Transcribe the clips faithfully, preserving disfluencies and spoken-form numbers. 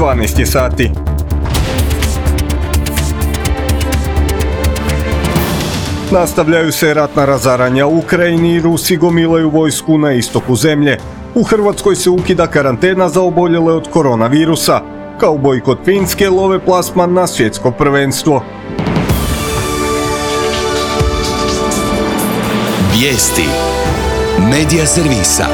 dvanaest je sati. Nastavljaju se ratna razaranja u Ukrajini i Rusi gomilaju vojsku na istoku zemlje. U Hrvatskoj se ukida karantena za oboljele od koronavirusa. Kao bojkot Finske love plasman na svjetsko prvenstvo. Vijesti Medija servisa.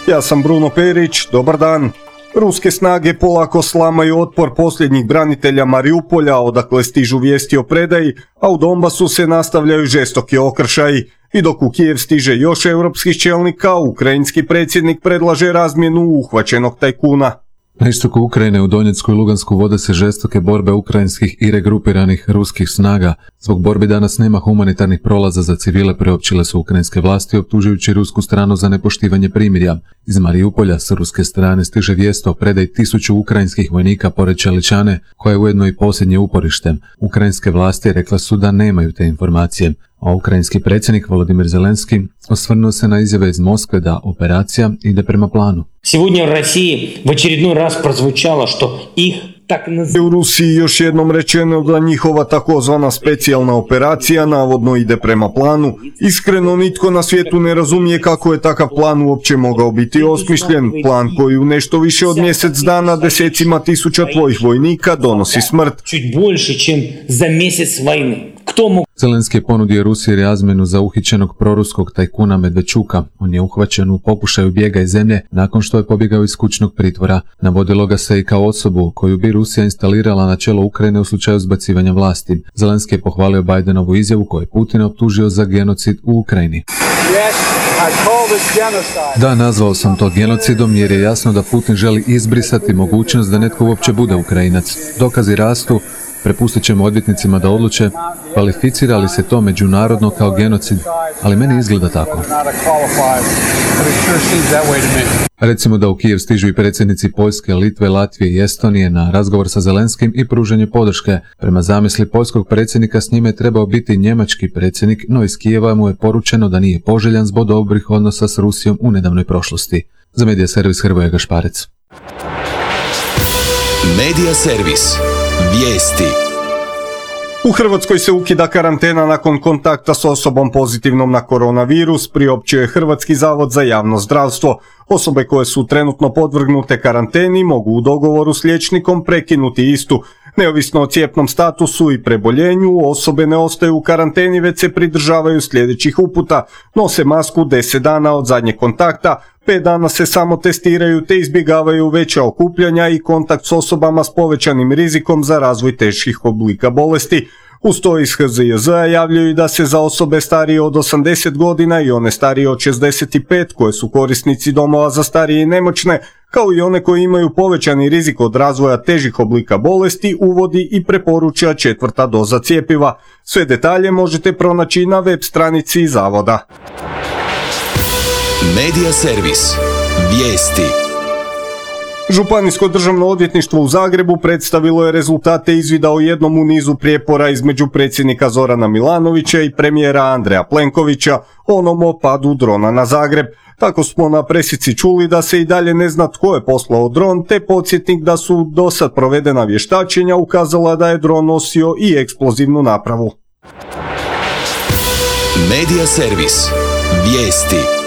Ja sam Bruno Perić, dobar dan. Ruske snage polako slamaju otpor posljednjih branitelja Mariupolja, odakle stižu vijesti o predaji, a u Donbasu se nastavljaju žestoki okršaji. I dok u Kijev stiže još europskih čelnika, ukrajinski predsjednik predlaže razmjenu uhvaćenog tajkuna. Na istoku Ukrajine u Donjecku i Lugansku vode se žestoke borbe ukrajinskih i regrupiranih ruskih snaga. Zbog borbi danas nema humanitarnih prolaza za civile, priopćile su ukrajinske vlasti optužujući rusku stranu za nepoštivanje primirja. Iz Mariupolja s ruske strane stiže vijest o predaji tisuću ukrajinskih vojnika pored Čeličane, koja je ujedno i posljednje uporište. Ukrajinske vlasti rekle su da nemaju te informacije, a ukrajinski predsjednik Volodimir Zelenski osvrnuo se na izjave iz Moskve da operacija ide prema planu. Сегодня в России в очередной раз прозвучало, что их так U Rusiji još jednom rečeno da njihova takozvana specijalna operacija navodno ide prema planu. Iskreno nitko na svijetu ne razumije kako je takav plan uopće mogao biti osmišljen. Plan koji u nešto više od mjesec dana desecima tisuća tvojih vojnika donosi smrt. Чуть больше, чем за месяц войны. Кто мог... Zelenski je ponudio Rusiji razmjenu za uhićenog proruskog tajkuna Medvečuka. On je uhvaćen u pokušaju bijega iz zemlje nakon što je pobjegao iz kućnog pritvora. Navodilo ga se i kao osobu koju bi Rusija instalirala na čelo Ukrajine u slučaju zbacivanja vlasti. Zelenski je pohvalio Bidenovu izjavu koju je Putin optužio za genocid u Ukrajini. Da, nazvao sam to genocidom jer je jasno da Putin želi izbrisati mogućnost da netko uopće bude Ukrajinac. Dokazi rastu, prepustit ćemo odvjetnicima da odluče kvalificira li se to međunarodno kao genocid, ali meni izgleda tako. Recimo da u Kijev stižu i predsjednici Poljske, Litve, Latvije i Estonije na razgovor sa Zelenskim i pružanje podrške. Prema zamisli poljskog predsjednika s njime je trebao biti njemački predsjednik, no iz Kijeva mu je poručeno da nije poželjan zbog dobrih odnosa s Rusijom u nedavnoj prošlosti. Za Medija servis Hrvoje Gašparec. Medija servis. Vijesti. U Hrvatskoj se ukida karantena nakon kontakta s osobom pozitivnom na koronavirus, priopćio je Hrvatski zavod za javno zdravstvo. Osobe koje su trenutno podvrgnute karanteni mogu u dogovoru s liječnikom prekinuti istu. Neovisno o cijepnom statusu i preboljenju, osobe ne ostaju u karanteni već se pridržavaju sljedećih uputa. Nose masku deset dana od zadnjeg kontakta, pet dana se samo testiraju te izbjegavaju veća okupljanja i kontakt s osobama s povećanim rizikom za razvoj teških oblika bolesti. Uz to iz H Z J Z-a javljaju da se za osobe starije od osamdeset godina i one starije od šezdeset pet koje su korisnici domova za starije i nemoćne, kao i one koji imaju povećani rizik od razvoja težih oblika bolesti, uvodi i preporuča četvrta doza cjepiva. Sve detalje možete pronaći na web stranici zavoda. Medija servis. Vijesti. Županijsko državno odvjetništvo u Zagrebu predstavilo je rezultate izvida o jednom u nizu prijepora između predsjednika Zorana Milanovića i premijera Andreja Plenkovića, onom o padu drona na Zagreb. Tako smo na presici čuli da se i dalje ne zna tko je poslao dron, te podsjetnik da su dosad provedena vještačenja ukazala da je dron nosio i eksplozivnu napravu. Medija servis. Vijesti.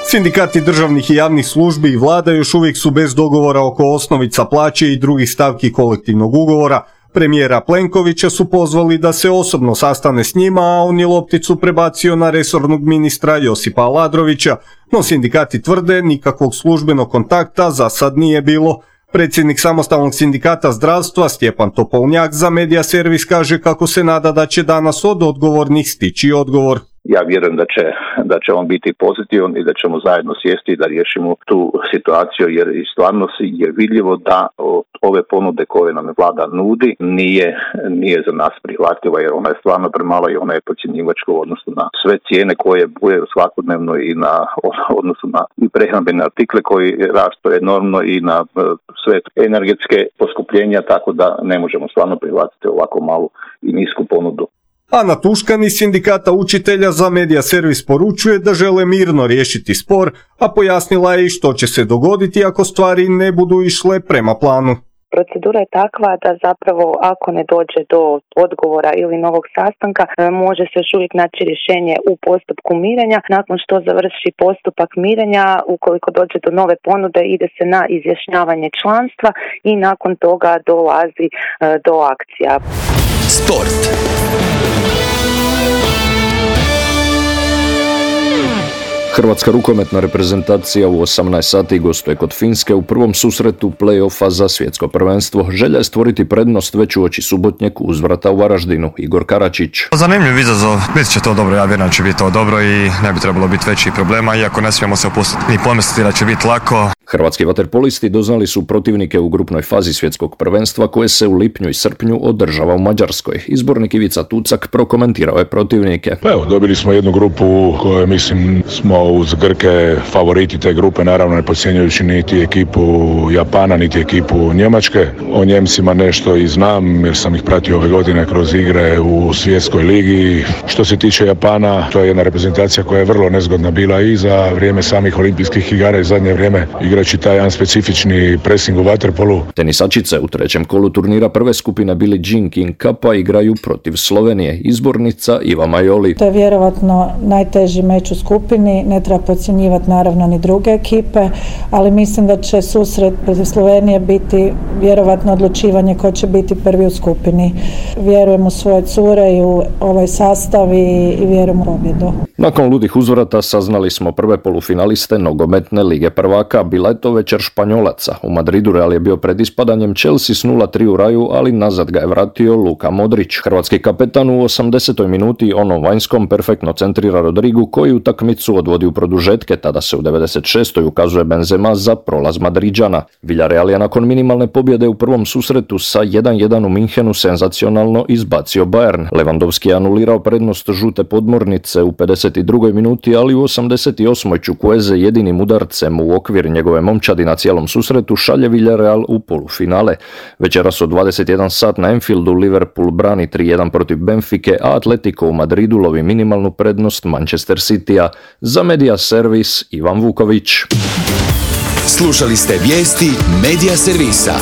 Sindikati državnih i javnih službi i vlada još uvijek su bez dogovora oko osnovica plaće i drugih stavki kolektivnog ugovora. Premijera Plenkovića su pozvali da se osobno sastane s njima, a on je lopticu prebacio na resornog ministra Josipa Aladrovića, no sindikati tvrde nikakvog službenog kontakta za sad nije bilo. Predsjednik samostalnog sindikata zdravstva Stjepan Topolnjak za Medija servis kaže kako se nada da će danas od odgovornih stići odgovor. Ja vjerujem da će, da će on biti pozitivan i da ćemo zajedno sjesti da riješimo tu situaciju, jer i stvarno je vidljivo da ove ponude koje nam vlada nudi nije, nije za nas prihvatljiva, jer ona je stvarno premala i ona je podcjenjivačka u odnosu na sve cijene koje bujaju svakodnevno i na odnosu na i prehrambene artikle koji rastu enormno i na sve energetske poskupljenja, tako da ne možemo stvarno prihvatiti ovako malu i nisku ponudu. Ana Tuškan iz Sindikata učitelja za Medija servis poručuje da žele mirno riješiti spor, a pojasnila je i što će se dogoditi ako stvari ne budu išle prema planu. Procedura je takva da zapravo ako ne dođe do odgovora ili novog sastanka može se još uvijek naći rješenje u postupku mirenja. Nakon što završi postupak mirenja, ukoliko dođe do nove ponude, ide se na izjašnjavanje članstva i nakon toga dolazi do akcija. Sport. Hrvatska rukometna reprezentacija u osamnaest sati gostuje kod Finske u prvom susretu play-offa za svjetsko prvenstvo. Želja je stvoriti prednost već uoči subotnjeg uzvrata u Varaždinu. Igor Karačić. Zanimljiv izazov, bit će to dobro, ja vjerujem da će biti to dobro i ne bi trebalo biti većih problema, iako ne smijemo se opustiti ni pomisliti da će biti lako. Hrvatski vaterpolisti doznali su protivnike u grupnoj fazi svjetskog prvenstva koje se u lipnju i srpnju održava u Mađarskoj. Izbornik Ivica Tucak prokomentirao je protivnike. Pa evo, dobili smo jednu grupu u kojoj mislim smo uz Grke favoriti te grupe, naravno ne podcjenjujući niti ekipu Japana, niti ekipu Njemačke. O Njemcima nešto i znam jer sam ih pratio ove godine kroz igre u svjetskoj ligi. Što se tiče Japana, to je jedna reprezentacija koja je vrlo nezgodna bila i za vrijeme samih olimpijskih igara i zadnje vrijeme igrajući taj jedan specifični pressing u vaterpolu. Tenisačice u trećem kolu turnira prve skupine Billie Jean King Cupa igraju protiv Slovenije. Izbornica Iva Majoli. To je vjerovatno najteži meč u skupini, ne treba podcjenjivati naravno ni druge ekipe, ali mislim da će susret protiv Slovenije biti vjerovatno odlučivanje ko će biti prvi u skupini. Vjerujem u svoje cure i u ovaj sastav i, i vjerujem u pobjedu. Nakon ludih uzvrata saznali smo prve polufinaliste nogometne lige prvaka. Bila je to večer Španjolaca. U Madridu Real je bio pred ispadanjem, Chelsea s nula tri u raju, ali nazad ga je vratio Luka Modrić. Hrvatski kapetan u osamdesetoj minuti onom vanjskom perfektno centrira Rodrigu koji utakmicu odvodi u produžetke, tada se u devedeset šestoj ukazuje Benzema za prolaz Madriđana. Villarreal je nakon minimalne pobjede u prvom susretu sa jedan jedan u Minhenu senzacionalno izbacio Bayern. Lewandowski je anulirao prednost žute podmornice u pedeset drugoj minuti, ali u osamdeset osmoj Chukwueze jedinim udarcem u okvir njegove momčadi na cijelom susretu šalje Villarreal u polufinale. Večeras od dvadeset jedan sat na Anfieldu Liverpool brani tri jedan protiv Benfike, a Atletico u Madridu lovi minimalnu prednost Manchester Citya. Za Medija servis Ivan Vuković. Slušali ste vijesti Medija servisa.